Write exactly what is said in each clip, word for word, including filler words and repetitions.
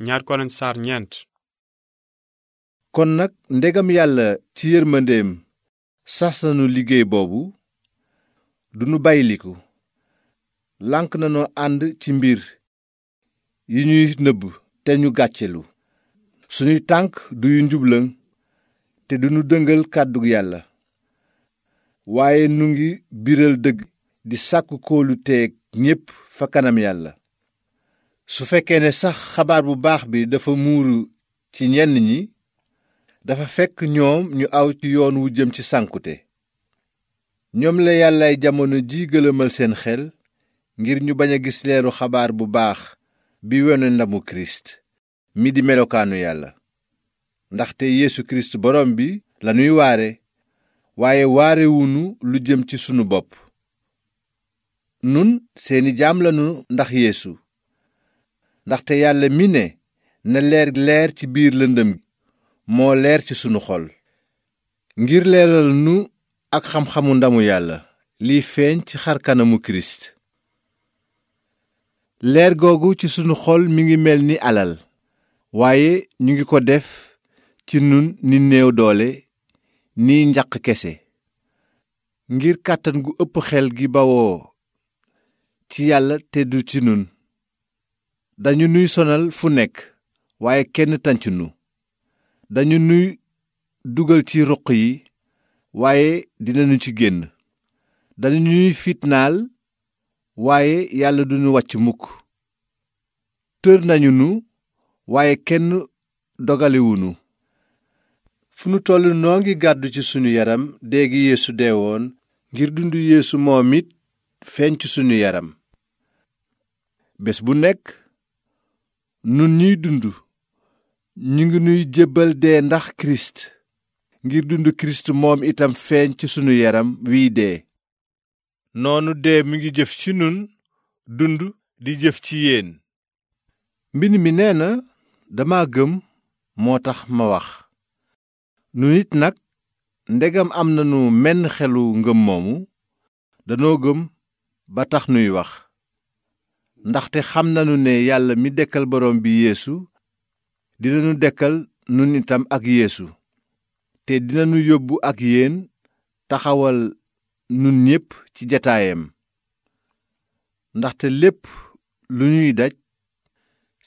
ñaar Korent saar ñeent. kon nag ndegam yàlla ci yërmandeem sas nanu liggéey boobu duñu bàyyiliku lànk nanoo ànd ci mbir yi ñuy nëbb te ñu gàccelu suñuy tànk duyu njublaŋ te duñu dëngal kàddu yàlla waaye nu ngi biral dëgg di sàkku kóoluteeg ñépp fa kanam yàlla su fekkee ne sax xabaar bu baax bi dafa muuru ci ñenn ñi dafa fekk ñoom ñu aw ci yoon wu jëm ci sànkute ñoom la yàllaay jamono ji gëlëmal seen xel ngir ñu bañ a gis leeru xabaar bu baax bi wone ndamu kirist mi di melokaanu yàlla ndaxte Yeesu kirist borom bi lanuy waare waaye waarewunu lu jëm ci sunu bopp nun seeni jaam lanu ndax Yeesu ndaxte yàlla mi ne na leer leer ci biir lëndëm moo leer ci sunu xol ngir leeral nu ak xam-xamu ndamu yàlla liy feeñ ci xar kanamu kirist leer googu ci sunu xol mi ngi mel ni alal waaye ñu ngi ko def ci nun ni néew doole ni njaq kese ngir kàttan gu ëpp xel gi bawoo ci yàlla te du ci nun dañu nuy sonal fu nekk waaye kenn tànc nu dañu nuy dugal ci ruq yi waaye dinañu ci génn dañu ñuy fitnaal waaye yàlla duñu wàcc mukk tër nañu nu waaye kenn dogaliwunu fu nu toll noo ngi gàddu ci sunu yaram dee gi Yeesu deewoon ngir dundu Yeesu moom it feeñ ci sunu yaram bés bu nekk nun ñiy dund ñu ngi nuy jébbal dee ndax kirist ngir dund kirist moom itam feeñ ci sunu yaram wiy dee noonu dee mi ngi jëf ci nun dund di jëf ci yéen mbind mi nee na dama gëm moo tax ma wax nu nit nag ndegam am nanu menn xelu ngëm moomu danoo gëm ba tax nuy wax ndaxte xam nanu ne yàlla mi dekkal borom bi Yeesu dinanu dekkal nun itam ak Yeesu te dinanu yóbbu ak yéen taxawal nun ñépp ci jataayam ndaxte lépp lu ñuy daj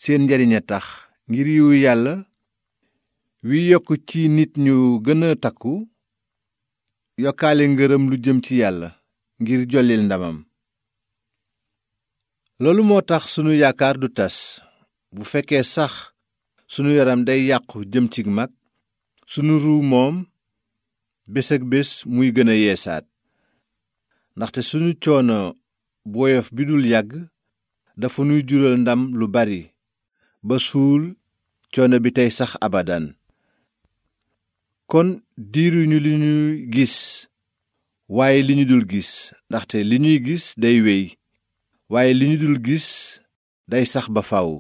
seen njariñ a tax ngir yiwu yàlla wi yokk ci nit ñu gën a takku yokkaale ngërëm lu jëm ci yàlla ngir jollil ndamam loolu moo tax sunu yaakaar du tas bu fekkee sax sunu yaram day yàqu jëm ci mag sunu ruu moom bés ak bés muy gën a yeesaat ndaxte sunu coono bu woyof bi dul yàgg dafa nuy jural ndam lu bari ba suul coono bi tey sax abadan kon diiruñu li ñuy gis waaye li ñu dul gis ndaxte li ñuy gis day wéy waaye li ñu dul gis day sax ba faw